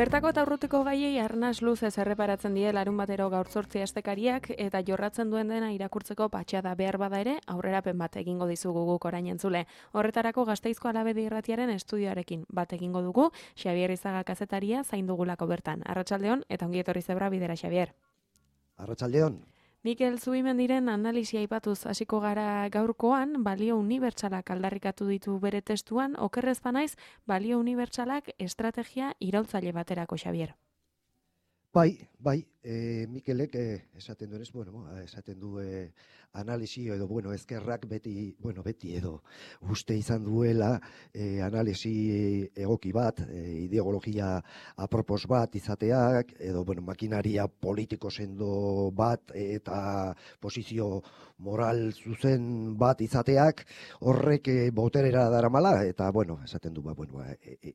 Bertako eta urrutiko gaiei arnas luzez erreparatzen die larunbatero gaur 8 astekariak eta jorratzen duen dena irakurtzeko patxada behar bada ere aurrerapen bat egingo dizugu guk orain entzule. Horretarako Gasteizko Alabedi Irratiaren estudioarekin bat egingo dugu, Xabier Izaga kazetaria zain dugulako bertan. Arratsaldeon eta ongi etorri zebra bidera, Xabier. Arratsaldeon. Mikel Zubimendiren analisia aipatuz hasiko gara gaurkoan, balio unibertsalak aldarrikatu ditu bere testuan, okerrez banaiz, balio unibertsalak estrategia iraultzaile baterako, Xabier. Bai, Mikelek esaten duenez, esaten du analisi edo, ezkerrak beti edo uste izan duela analisi egoki bat, ideologia apropos bat izateak, edo, makinaria politiko sendo bat eta posizio moral zuzen bat izateak horrek boterera daramala, eta, esaten du,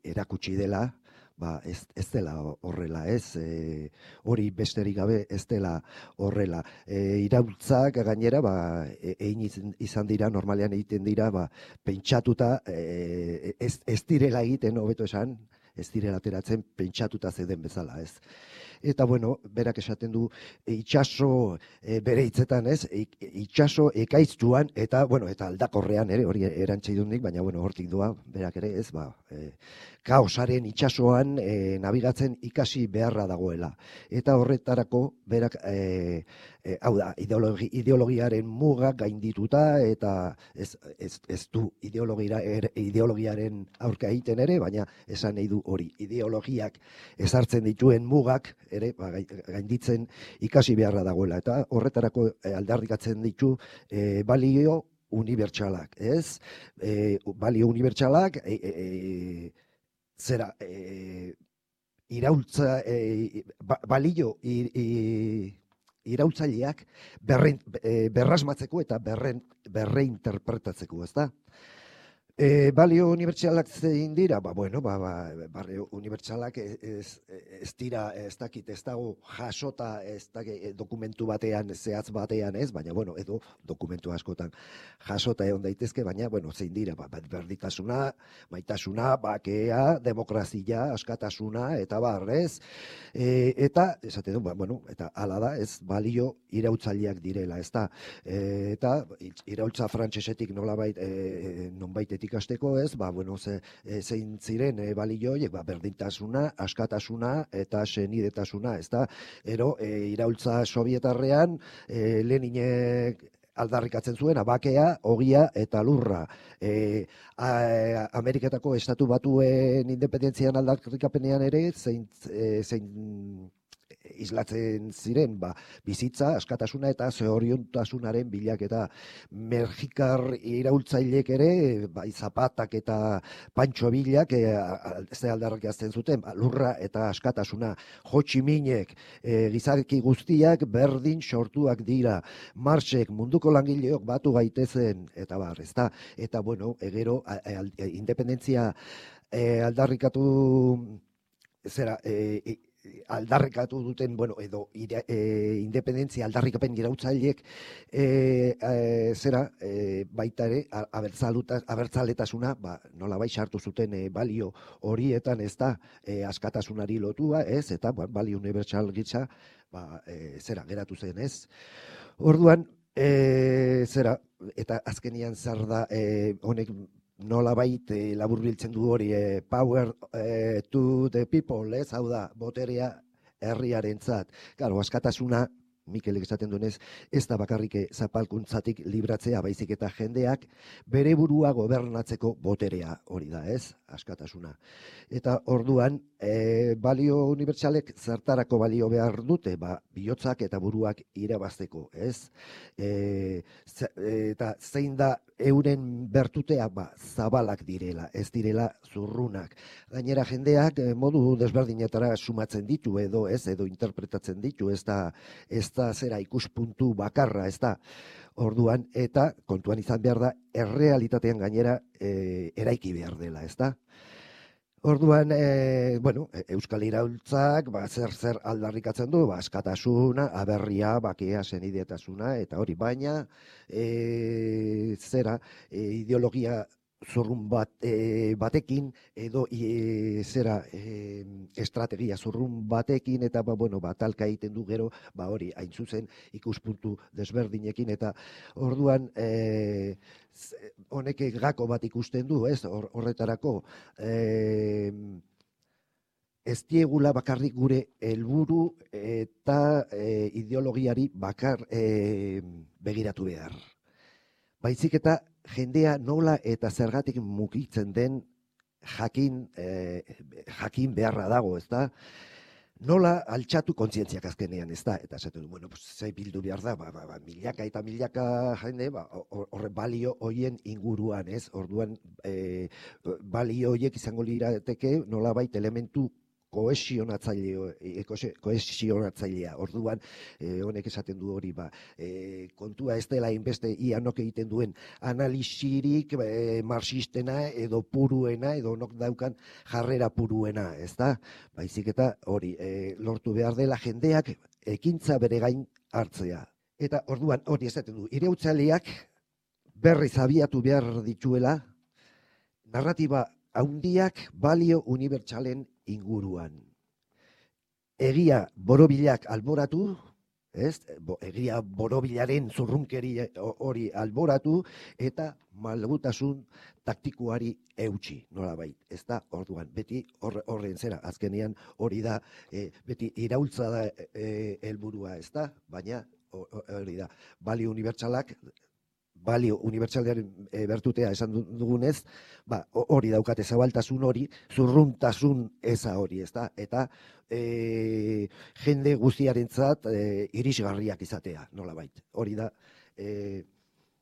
erakutsi dela, ez dela horrela, hori besterik gabe ez dela horrela. Iraultzak gainera, egin izan dira, normalean egiten dira, pentsatuta, ez direla egiten, hobeto esan, ez direla ateratzen pentsatuta zeuden bezala, ez. Eta, berak esaten du, itxaso bere hitzetan, itxaso ekaitzuan, eta aldakorrean ere, hori erantzidunik, baina, hortik doa, berak ere, ez, kaosaren itxasoan nabigatzen ikasi beharra dagoela. Eta horretarako, berak, hau da, ideologiaren mugak gaindituta, eta ez du ideologiaren aurka egiten ere, baina esan nahi du hori, ideologiak ezartzen dituen mugak, ere, gainditzen ikasi beharra dagoela. Eta horretarako aldarrikatzen ditu balio unibertsalak, ez? Balio unibertsalak, iraultza, balio iraultzaileak berrasmatzeko eta berreinterpretatzeko, ez da? Balio unibertsalak zein dira? Balio unibertsalak ez dira, ez dakit, ez dago jasota, ez dakit, dokumentu batean, zehatz batean ez, baina, edo dokumentu askotan jasota egon daitezke, baina, zein dira, berditasuna, maitasuna, bakea, demokrazia, askatasuna, eta barrez, eta, esaten du, eta hala da, ez balio iraultzaileak direla, ez da, eta iraultza frantsesetik nonbait ikasteko ez, zein ziren balioiek, berdintasuna, askatasuna eta senidetasuna, ez da, iraultza sovietarrean Leninek aldarrikatzen zuen, bakea, ogia eta lurra. Ameriketako estatu batuen independentzian aldarrikapenean ere, zein islatzen ziren, bizitza, askatasuna eta zoriontasunaren bilaketa. Mexikar iraultzaileek ere, Zapatak eta Pancho Villak ze aldarrikatzen zuten, lurra eta askatasuna. Ho Chi Minhek, gizarki guztiak berdin sortuak dira. Marxek, munduko langileok batu gaitezen, eta bar, ezta? Eta, gero, independentzia aldarrikatu aldarrikatu duten, edo independentzia aldarrikapen iraultzaileek baita ere abertzaletasuna nolabait sartu zuten balio horietan, ez da, askatasunari lotua, ez, eta balio unibertsal gisa geratu zen, ez. Orduan, eta azkenian zer da honek nolabait laburbiltzen du hori, power to the people, ez, hau da, boterea herriarentzat. Claro, askatasuna, Mikelek esaten duenez, ez da bakarrik zapalkuntzatik libratzea, baizik eta jendeak bere burua gobernatzeko boterea hori da, ez, askatasuna. Eta orduan, balio unibertsalek zertarako balio behar dute, bihotzak eta buruak irabazteko, ez? Eta zein da euren bertutea, zabalak direla, ez direla zurrunak. Gainera jendeak modu desberdinetara sumatzen ditu edo interpretatzen ditu, ez da zera ikuspuntu bakarra, ez da. Orduan, eta kontuan izan behar da, errealitatean gainera eraiki behar dela, ez da. Orduan, Euskal Iraultzak, zer aldarrikatzen du, askatasuna, aberria, bakea, senidetasuna, eta hori, baina, ideologia zurrun batekin edo estrategia zurrun batekin eta bueno, talka egiten du gero, hori hain zuzen ikuspuntu desberdinekin eta orduan honek gako bat ikusten du, ez? Horretarako ez diegula bakarrik gure helburu eta ideologiari begiratu behar. Baizik eta jendea nola eta zergatik mugitzen den jakin beharra dago, ezta? Nola altxatu kontzientziak azkenean, ezta? Eta esaten du, bueno, zei bildu behar da, milaka eta milaka jende, horre balio hoien inguruan, ez? Orduan, balio hoiek izango lirateke nolabait elementu kohesionatzailea. Orduan, honek esaten du hori, kontua ez dela inbeste ianok egiten duen analisirik marxistena edo puruena, edo nok daukan jarrera puruena, ez da? Baizik eta hori, lortu behar dela jendeak ekintza bere gain hartzea. Eta orduan, hori esaten du, iraultzaileak berriz abiatu behar dituela, narratiba haundiak balio unibertsalen inguruan. Egia borobilak alboratu, ez? Egia borobilaren zurrunkeri hori alboratu eta malgutasun taktikoari eutsi, nolabait, ez da? Orduan, beti horren zera, azkenean hori da, beti iraultza da helburua, ez da? Baina hori da, balio unibertsalearen bertutea esan dugunez, hori daukate zabaltasun hori, zurruntasun eza hori, ezta? Eta jende guztiarentzat irisgarriak izatea, nolabait. Hori da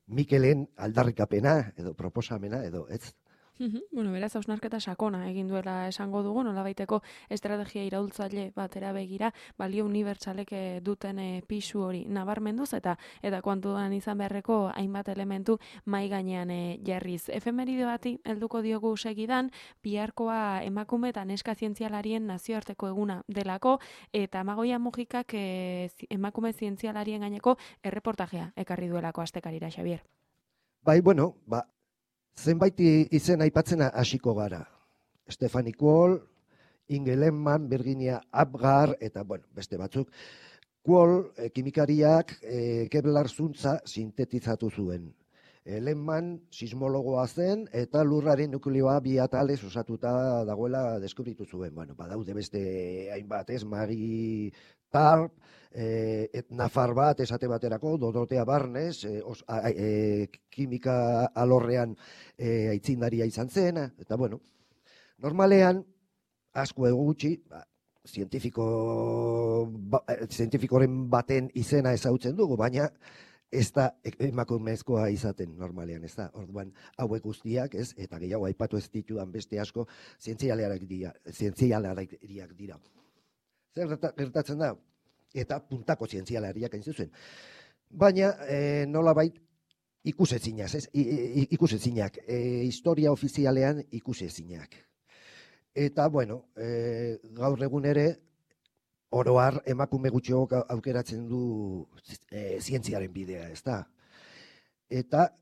Mikelen aldarrikapena edo proposamena edo ez. Bueno, beraz, hausnarketa sakona egin duela esango dugu, nolabaiteko estrategia iraultzaile batera begira, balio unibertsalek duten pisu hori nabarmenduz eta kontuan izan beharreko hainbat elementu mai gainean jarriz. Efemeride bati helduko diogu segidan, biharkoa emakume eta neska zientzialarien nazioarteko eguna delako, eta Amagoia Mujikak emakume zientzialarien gaineko erreportajea ekarri duelako astekarira, Xabier. Bueno, zenbait izen aipatzen hasiko gara. Stephanie Quall, Inge Lehmann, Virginia Apgar, eta beste batzuk. Quall, kimikariak Kevlar zuntza sintetizatu zuen. Lehmann sismologoa zen eta lurraren nukleoa bi atalez osatuta dagoela deskubritu zuen. Badaude beste hainbat, ez? Magi Tarp, nafar bat esate baterako, Dorotea Barnes, kimika alorrean aitzindaria izan zen, eta normalean, asko gutxi, zientifikoren baten izena ezagutzen dugu, baina ez da emakumezkoa izaten normalean, ez da. Orduan, hauek guztiak, ez, eta gehiago aipatu ez ditudan beste asko, zientzialariak dira. Zer gertatzen da? Eta puntako zientzialariak hain zuzen. Baina, nolabait, ikusezinak, historia ofizialean ikusezinak. Eta, gaur egun ere, oro har emakume gutxiok aukeratzen du zientziaren bidea, ez da? Eta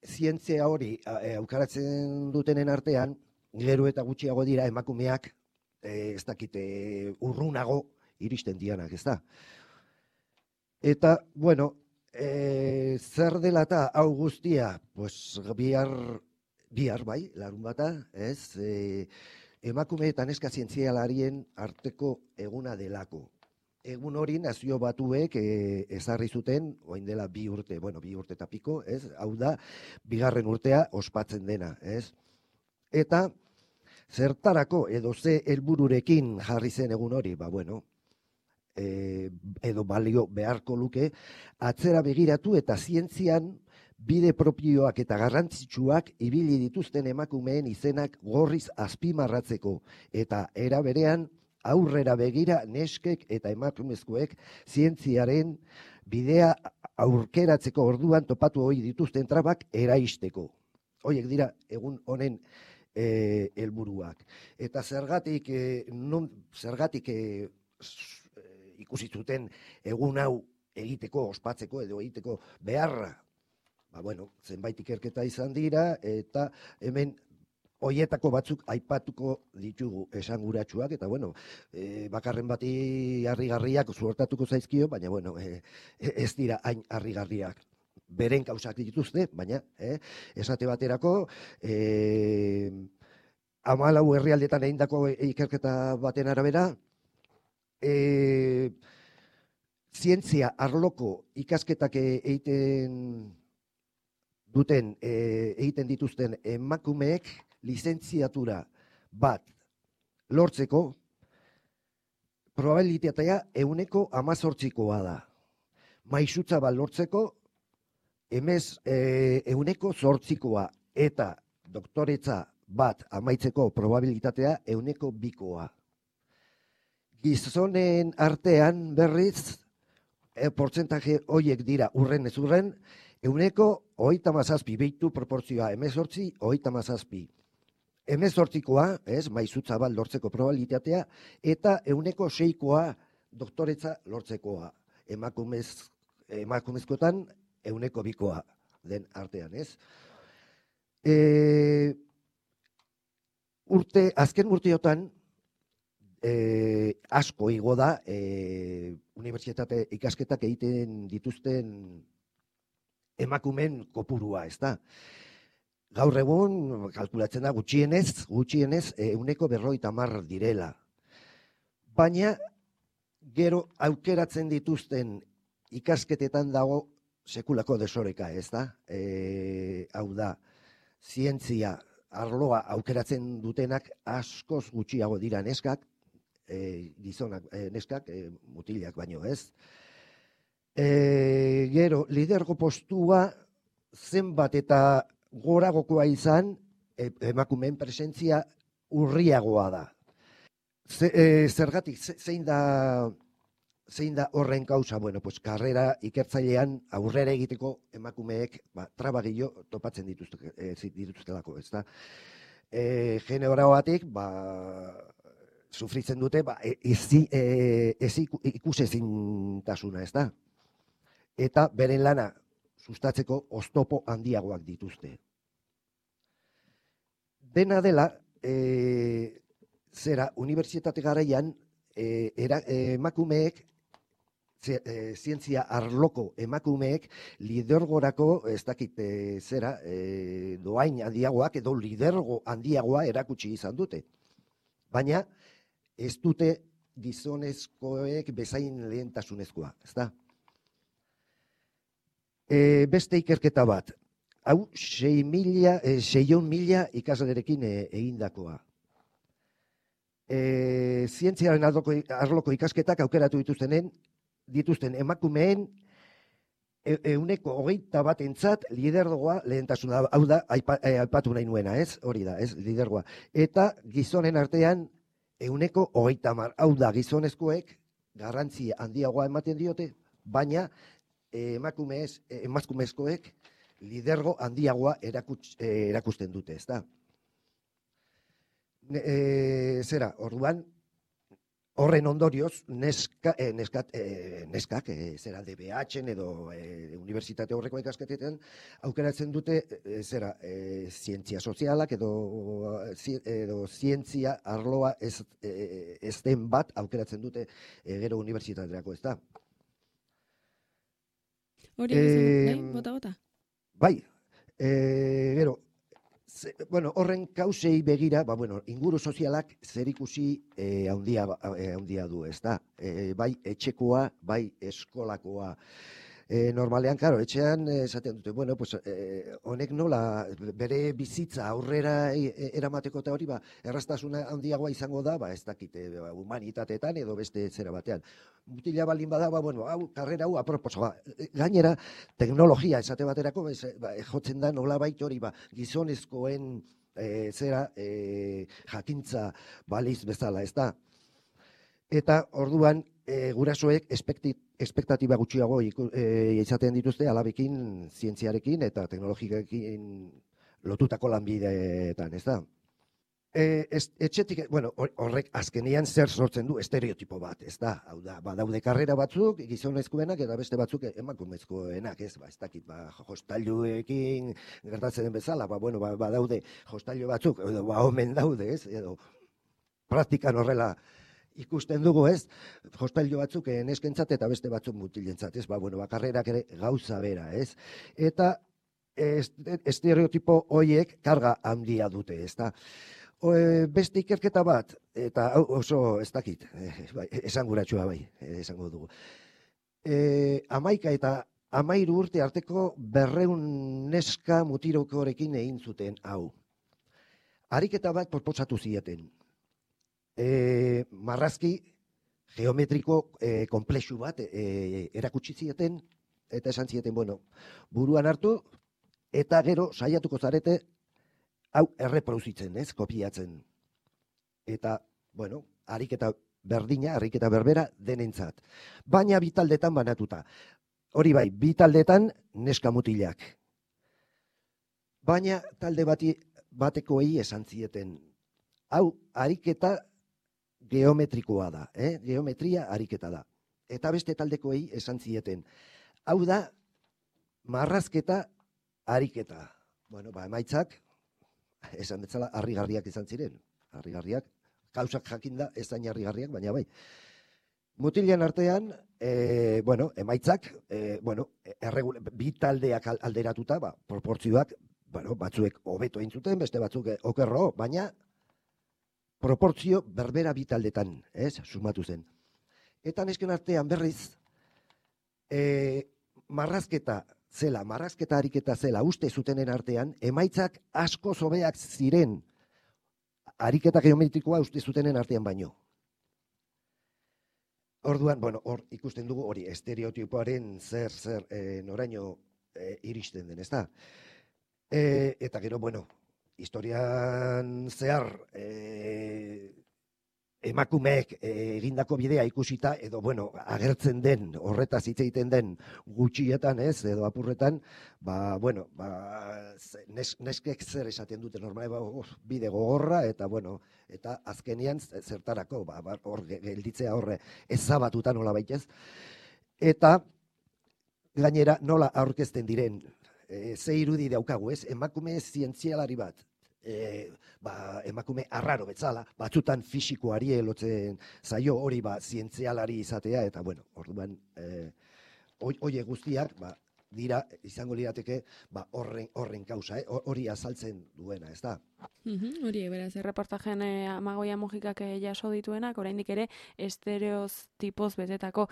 zientzia hori aukeratzen dutenen artean, gero eta gutxiago dira emakumeak, ez dakite urrunago iristen dianak, ez da? Eta, zer dela eta hau guztia, bihar bai, larun bata, ez? Emakume eta neska zientzialarien arteko eguna delako. Egun hori nazio batuek ezarri zuten, orain dela 2 urte, 2 urte eta piko, ez? Hau da, 2. urtea ospatzen dena, ez? Eta zertarako edo ze helbururekin jarri zen egun hori, edo balio beharko luke, atzera begiratu eta zientzian bide propioak eta garrantzitsuak ibili dituzten emakumeen izenak gorriz azpimarratzeko eta era berean aurrera begira neskek eta emakumezkoek zientziaren bidea aurkeratzeko orduan topatu hori dituzten trabak eraisteko. Horiek dira egun honen helburuak. Eta zergatik ikusi zuten egun hau egiteko, ospatzeko edo egiteko beharra zenbait ikerketa izan dira, eta hemen hoietako batzuk aipatuko ditugu esanguratsuak, eta bakarren bati harrigarriak suertatuko zaizkio, baina ez dira hain harrigarriak. Beren kausak dituzte, baina esate baterako 14 herrialdetan egindako ikerketa baten arabera, zientzia arloko ikasketak egiten dituzten emakumeek lizentziatura bat lortzeko probabilitatea 18%koa da. Maisutza bat lortzeko 8%koa eta doktoretza bat amaitzeko probabilitatea 2%koa. Gizonen artean berriz, portzentaje horiek dira urren ez urren, 37%, behitu proportzioa 18-37. 18koa, maizutza bat lortzeko probabilitatea, eta 6koa doktoretza lortzekoa. Emakumezkoetan 2koa den artean, azken urteotan, asko igo da unibertsitate ikasketak egiten dituzten emakumen kopurua, ez da. Gaur egun, kalkulatzen da, gutxienez 50% direla. Baina, gero aukeratzen dituzten ikasketetan dago sekulako desoreka, ez da. Hau da, zientzia arloa aukeratzen dutenak askoz gutxiago dira neskak, gizonak neskak, mutilak baino, ez. Gero, lidergo postua zenbat eta goragokoa izan, emakumeen presentzia urriagoa da. Zergatik, zein da horren kausa? Karrera ikertzailean aurrera egiteko emakumeek trabagillo topatzen dituztelako, ez da. Generoagatik, sufritzen dute, ikusezintasuna, ez da. Eta beren lana sustatzeko oztopo handiagoak dituzte. Dena dela, unibertsitate garaian, emakumeek, zientzia arloko emakumeek lidergorako, ez dakit doain handiagoak edo lidergo handiagoa erakutsi izan dute. Baina ez dute gizonezkoek bezain lehentasunezkoa, ez da? Beste ikerketa bat, hau 6.000 ikaslerekin egindakoa. Zientziaren arloko ikasketak aukeratu dituzten emakumeen 21% lidergoa lehentasuna, hau da, aipatu nahi nuena, hori da, lidergoa. Eta gizonen artean 20%, hau da, gizonezkoek garrantzia handiagoa ematen diote, baina emakumezkoek lidergo handiagoa erakusten dute, ez da. Orduan, horren ondorioz, neskak, DBH-en edo unibertsitate horreko ikasketetan, aukeratzen dute, zientzia sozialak edo zientzia arloa ez den bat aukeratzen dute gero unibertsitaterako, ez da. Hori, bota? Bai, gero, horren kausei begira, inguru sozialak zerikusi handia du, ez da. Bai etxekoa, bai eskolakoa. Normalean, etxean esaten dute, honek nola bere bizitza aurrera eramateko eta hori, erraztasuna handiagoa izango da, ez dakite, humanitateetan edo beste zera batean. Mutila balin bada, hau, karrera hau, aproposa, gainera, teknologia esate baterako, jotzen da nola baita hori, gizonezkoen jakintza baliz bezala, ez da. Eta orduan, gurasoek espektatiba gutxiago izaten dituzte alabekin, zientziarekin eta teknologikekin lotutako lanbideetan, ez da? Etxetik, bueno, horrek azkenian zer sortzen du estereotipo bat, ez da? Hau da, badaude karrera batzuk, gizonezkoenak eta beste batzuk emakumezkoenak, ez? Ez dakit, jostailuekin gertatzen den bezala, bueno, badaude jostailu batzuk, edo omen daude, ez? Edo praktikan horrela ikusten dugu, ez? Jostailu batzuk neskentzat eta beste batzuk mutilentzat, ez? Bueno, karrerak ere gauza bera, ez? Eta estereotipo hoiek karga handia dute, ez da? Beste ikerketa bat, eta oso ez dakit, esanguratsua bai, esango dugu. 11 eta 13 urte arteko 200 neska mutirokorekin egin zuten hau. Ariketa bat proposatu zieten. Marrazki geometriko konplexu bat erakutsi zieten, eta esan zieten, bueno, buruan hartu, eta gero saiatuko zarete hau erreproduzitzen, ez, kopiatzen. Eta, bueno, ariketa berdina, ariketa berbera denentzat. Baina bi taldetan banatuta. Hori bai, bi taldetan neska mutilak. Baina talde batekoei esan zieten. Hau, ariketa geometrikoa da, geometria ariketa da. Eta beste taldekoei esan zieten. Hau da, marrazketa ariketa. Bueno, emaitzak, esan betzala, harrigarriak izan ziren. Harrigarriak, kausak jakinda ez zain harrigarriak, baina bai. Mutilen artean, emaitzak, bi taldeak alderatuta, proportzioak, batzuek hobeto egin zuten, beste batzuk okerro, baina proportzio berbera bi taldetan, sumatu zen. Eta nesken artean berriz, marrazketa ariketa zela uste zutenen artean, emaitzak asko zobeak ziren ariketa geometrikoa uste zutenen artean baino. Orduan, hor ikusten dugu hori estereotipoaren zer noraino iristen den, ez da? Eta gero, historian zehar emakumeek egindako bidea ikusita, edo, agertzen den, horretaz hitz egiten den gutxietan, edo apurretan, neskek zer esaten dute normale, bide gogorra, eta azkenian zertarako, hor gelditzea horre ezabatuta nola baitez, eta gainera nola aurkezten diren, ze irudi daukagu, emakume zientzialari bat, emakume arraro betzala, batzutan fisikoari elotzen zaio hori zientzialari izatea, eta orduan horiek guztiak dira, izango lirateke horren kausa, hori azaltzen duena, ez da? Hori, beraz, erreportajen Amagoia Mujikak jaso dituenak, oraindik ere estereotipoz betetako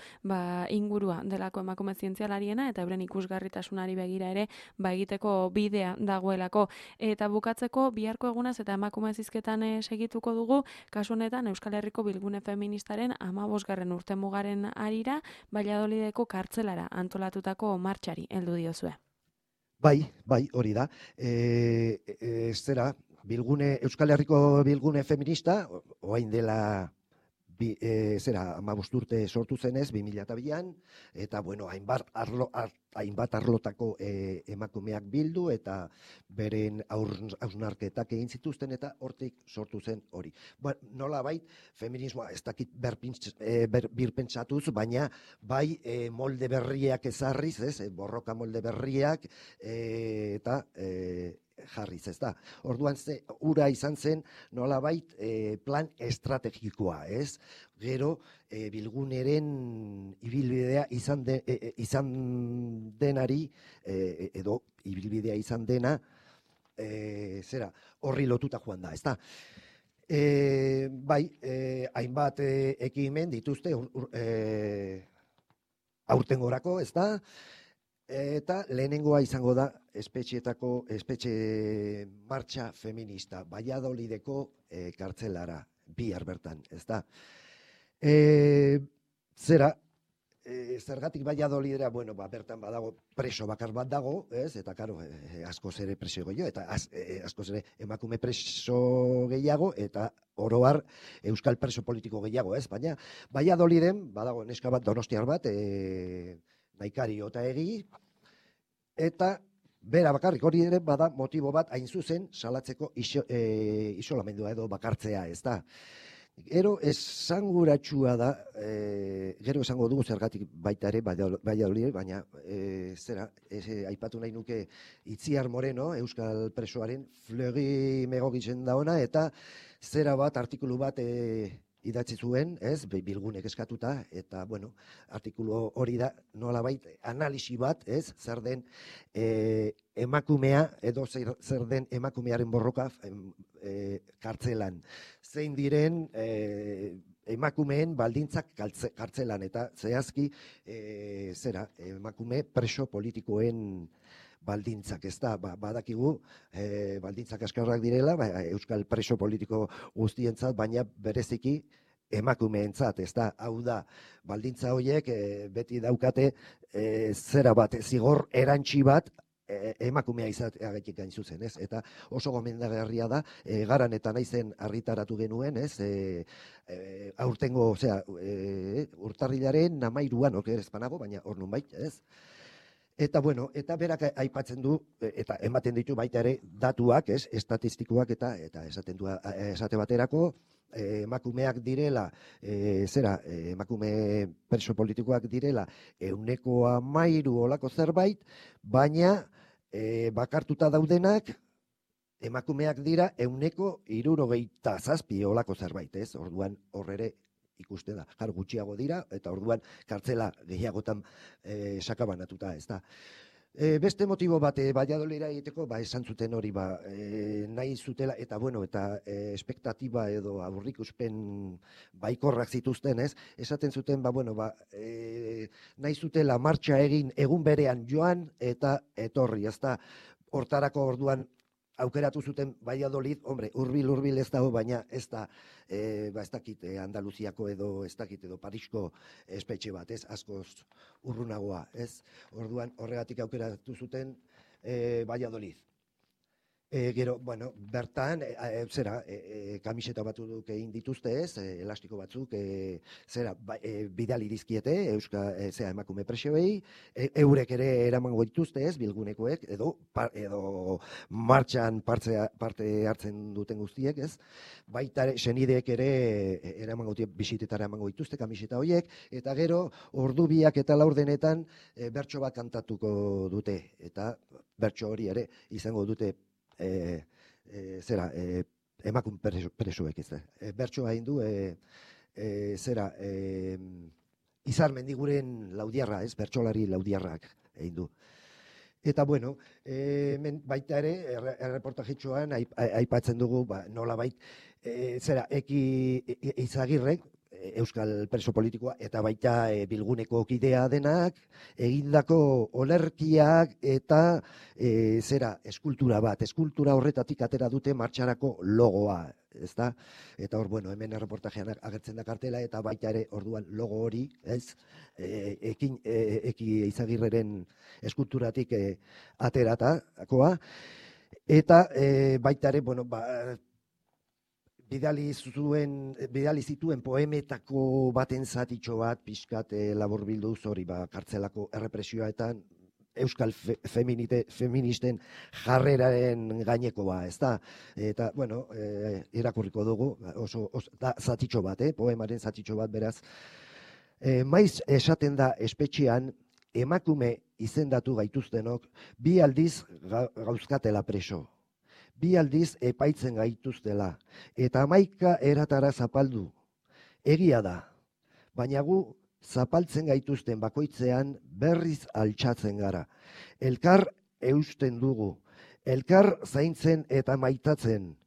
ingurua delako emakume zientzialariena, eta euren ikusgarritasunari begira ere egiteko bidea dagoelako. Eta bukatzeko, biharko egunaz eta emakume zizketan segituko dugu, kasu honetan Euskal Herriko Bilgune Feministaren 15. urtemugaren harira, Valladolideko kartzelara antolatutako martxari heldu diozue. Bai, hori da. Euskal Herriko Bilgune Feminista, oain dela 15 urte sortu zenez, 2002an, eta, hainbat arlotako emakumeak bildu, eta beren hausnarketak egin zituzten, eta hortik sortu zen hori. Nola bait, feminismoa ez dakit birpentsatuz, baina bai molde berriak ezarriz, borroka molde berriak, eta jarriz, ez da. Orduan ura izan zen nolabait plan estrategikoa, ez? Gero Bilguneren ibilbidea izan denari, edo ibilbidea izan dena, horri lotuta joan da, ez da. Hainbat ekimen dituzte aurtengorako, ez da? Eta lehenengoa izango da espetxe martxa feminista, Valladolideko kartzelara, bihar bertan, ez da. Zergatik Valladolidera, bertan badago preso bakar bat dago, ez? Eta, karo, askoz ere preso gehiago, eta askoz ere emakume preso gehiago, eta oroar euskal preso politiko gehiago, ez? Baina Valladoliden badago neska bat, donostiar bat, Naikari Otaegi, eta bera bakarrik hori ere bada motibo bat hain zuzen salatzeko isolamendua edo bakartzea, ez da. Gero esanguratsua da, gero esango dugu zergatik baita ere, Valladolid, baina aipatu nahi nuke Itziar Moreno, Euskal presoaren, Fleury megogitzen da ona, eta zera bat, artikulu bat idatzi zuen, ez, bilgunek eskatuta, eta, bueno, artikulu hori da, nolabait, analisi bat, ez, zer den emakumea, edo zer den emakumearen borroka kartzelan. Zein diren emakumeen baldintzak kartzelan, eta zehazki, emakume preso politikoen baldintzak, ez da, badakigu, baldintzak askarrak direla, Euskal preso politiko guztientzat, baina bereziki emakumeentzat, ez da, hau da, baldintza horiek beti daukate zera bat, zigor erantsi bat, emakumea izateagatik gain zuzen, ez? Eta oso gomendagarria da, garan eta naizen argitaratu genuen, ez? Aurtengo, urtarrilaren 13an, oker ezpanago, baina hor nunbait, ez? Eta, bueno, eta berak aipatzen du, eta ematen ditu baita ere datuak, ez, estatistikoak eta esaten du, esate baterako, emakumeak direla, emakume preso politikoak direla, 13% olako zerbait, baina bakartuta daudenak, emakumeak dira 67% olako zerbait, ez, orduan horrere, ikuste da, jar gutxiago dira, eta orduan kartzela gehiagotan sakabanatuta, ez da. Beste motibo bat, Valladolidera egiteko, esan zuten hori, nahi zutela, eta bueno, eta espektatiba edo aurrikuspen baikorrak zituzten, ez? Esaten zuten, nahi zutela martxa egin egun berean joan eta etorri, ez da, hortarako orduan aukeratu zuten Valladolid, hombre, hurbil ez dago, baina ez da, ez dakit Andaluziako edo ez dakit edo Parisko espetxe bat, ez, askoz urrunagoa, ez, orduan horregatik aukeratu zuten Valladolid. Gero, bueno, bertan, kamiseta batzuk egin dituzte, ez, elastiko batzuk, bidali dizkiete, emakume presioei, eurek ere eramango dituzte, ez, bilgunekoek, edo martxan parte hartzen duten guztiek, ez, baita senideek ere eramango bisitetara emango dituzte, kamiseta horiek, eta gero, ordu 2 eta 4 denetan, bertso bat kantatuko dute, eta bertso hori ere izango dute emakume presoek, ez da. Bertsoa egin du, Izar Mendiguren Laudiarra, ez, bertsolari Laudiarrak egin du. Eta, bueno, baita ere, erreportajitxoan aipatzen dugu, nolabait, Eki Izagirrek, Euskal preso politikoa, eta baita bilguneko kidea denak, egindako olerkiak eta eskultura bat. Eskultura horretatik atera dute martxarako logoa, ezta? Eta hor, bueno, hemen erreportajean agertzen da kartela, eta baita ere orduan logo hori, ez? Eki Izagirreren eskulturatik ateratakoa, eta baita ere, bueno, bidali zituen poemetako baten zatitxo bat, pixkat laburbilduz hori, kartzelako errepresioa euskal feministen jarreraren gainekoa, ez da? Eta, bueno, irakurriko dugu, oso zatitxo bat, poemaren zatitxo bat, beraz. Maiz esaten da espetxean, emakume izendatu gaituztenok, 2 aldiz gauzkatela preso. 2 aldiz epaitzen gaituztela, eta 11 eratara zapaldu. Egia da, baina gu zapaltzen gaituzten bakoitzean berriz altxatzen gara. Elkar eusten dugu, elkar zaintzen eta maitatzen,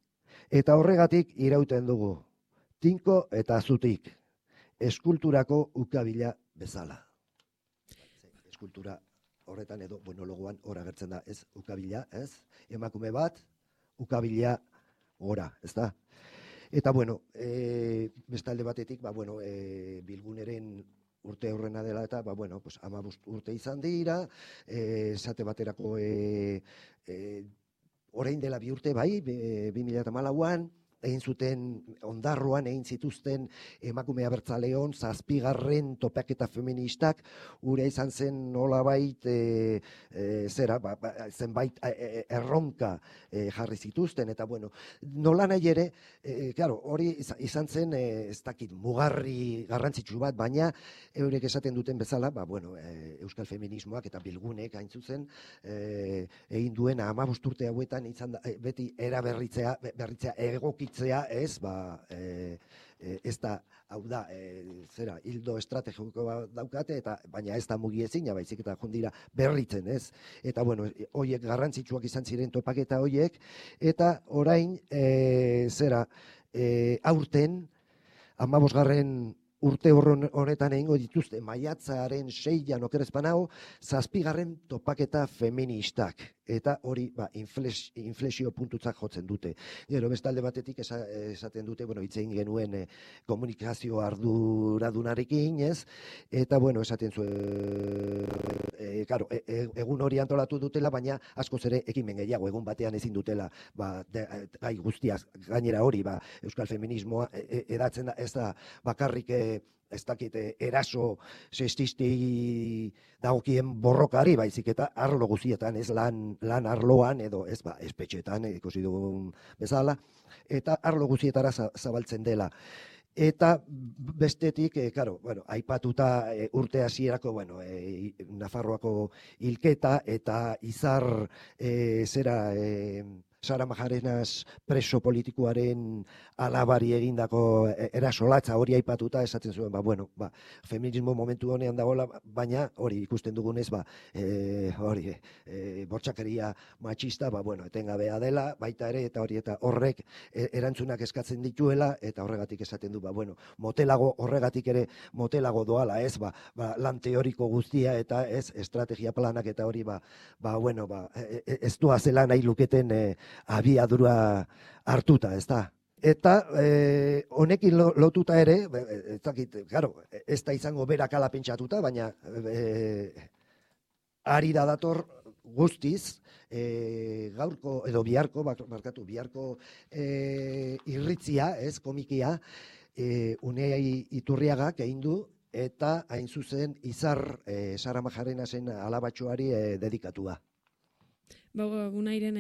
eta horregatik irauten dugu, tinko eta zutik, eskulturako ukabila bezala. Eskultura horretan edo monologoan hor agertzen da, ez ukabila, ez? Emakume bat, ukabila gora, ez da? Eta, bueno, bestalde batetik, bilguneren urte horrena dela eta, 15 urte izan dira, esate baterako orain dela 2 urte, 2014an, egin zuten Ondarroan egin zituzten emakume abertzaleon 7. topaketa feministak, ura izan zen nolabait zenbait erronka jarri zituzten, eta bueno, nola nahi ere, claro, hori izan zen ez dakit mugarri garrantzitsu bat, baina eurek esaten duten bezala, bueno, euskal feminismoak eta bilgunek hain zuzen egin duen 15 urte hauetan izan da, beti eraberritzea, egokitzea, ez, ez da, hau da, hildo estrategiko daukate, baina ez da mugiezina, baizik eta jundira berritzen, ez? Eta, bueno, horiek garrantzitsuak izan ziren topaketa horiek, eta orain, aurten, 15. urte honetan egingo dituzte, maiatzaren 6an okerezpanao, 7. topaketa feministak. Eta hori inflexio puntutzak jotzen dute. Gero bestalde batetik esaten dute, hitz egin genuen komunikazio arduradunarekin, ez? Eta, esaten zuen, egun hori antolatu dutela, baina askoz ere ekimen gehiago, egun batean ezin dutela, gai guztiak, gainera hori, euskal feminismoa edatzen da, ez da bakarrik ez dakit, eraso sexisti dagokien borrokari, baizik eta arlo guztietan, ez lan arloan, edo ez espetxetan, ikusi dugun bezala, eta arlo guztietara zabaltzen dela. Eta bestetik, aipatuta urte hasierako, Nafarroako hilketa eta Izar Sara Majarenas preso politikoaren alabari egindako erasolatza hori aipatuta esaten zuen, feminismo momentu honean dagoela, baina hori ikusten dugunez, bortxakeria matxista, etengabea dela, baita ere, eta hori eta horrek erantzunak eskatzen dituela, eta horregatik esaten du, horregatik ere motelago doala, ez, lan teoriko guztia, eta ez, estrategia planak, eta hori, ez doazela nahi luketen abiadura hartuta, ez da. Eta honekin lotuta ere, ez da izango berak ala pentsatuta, baina ari da dator guztiz, gaurko edo biharko irritzia, ez, komikia, Unai Iturriagak egin du, eta hain zuzen Izar Sara Majarenasen alabatxoari dedikatua. Unairen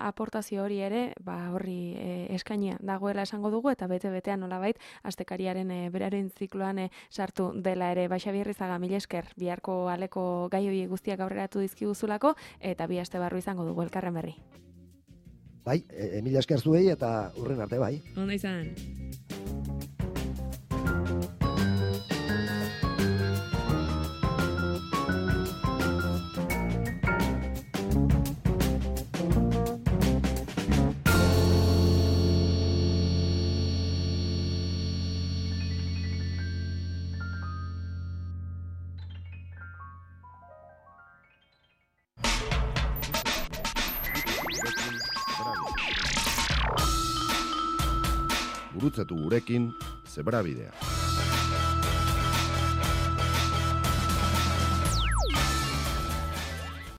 aportazio hori ere, horri eskainia dagoela esango dugu, eta bete-betean nolabait, astekariaren beraren zikloan sartu dela ere. Xabier Izaga, mila esker, biharko aleko gai hori guztiak aurreratu dizkiguzulako, eta bi aste barru izango dugu elkarren berri. Bai, mila esker zuei, eta hurren arte, bai. Onda izan. Gurutzatu gurekin Zebrabidea.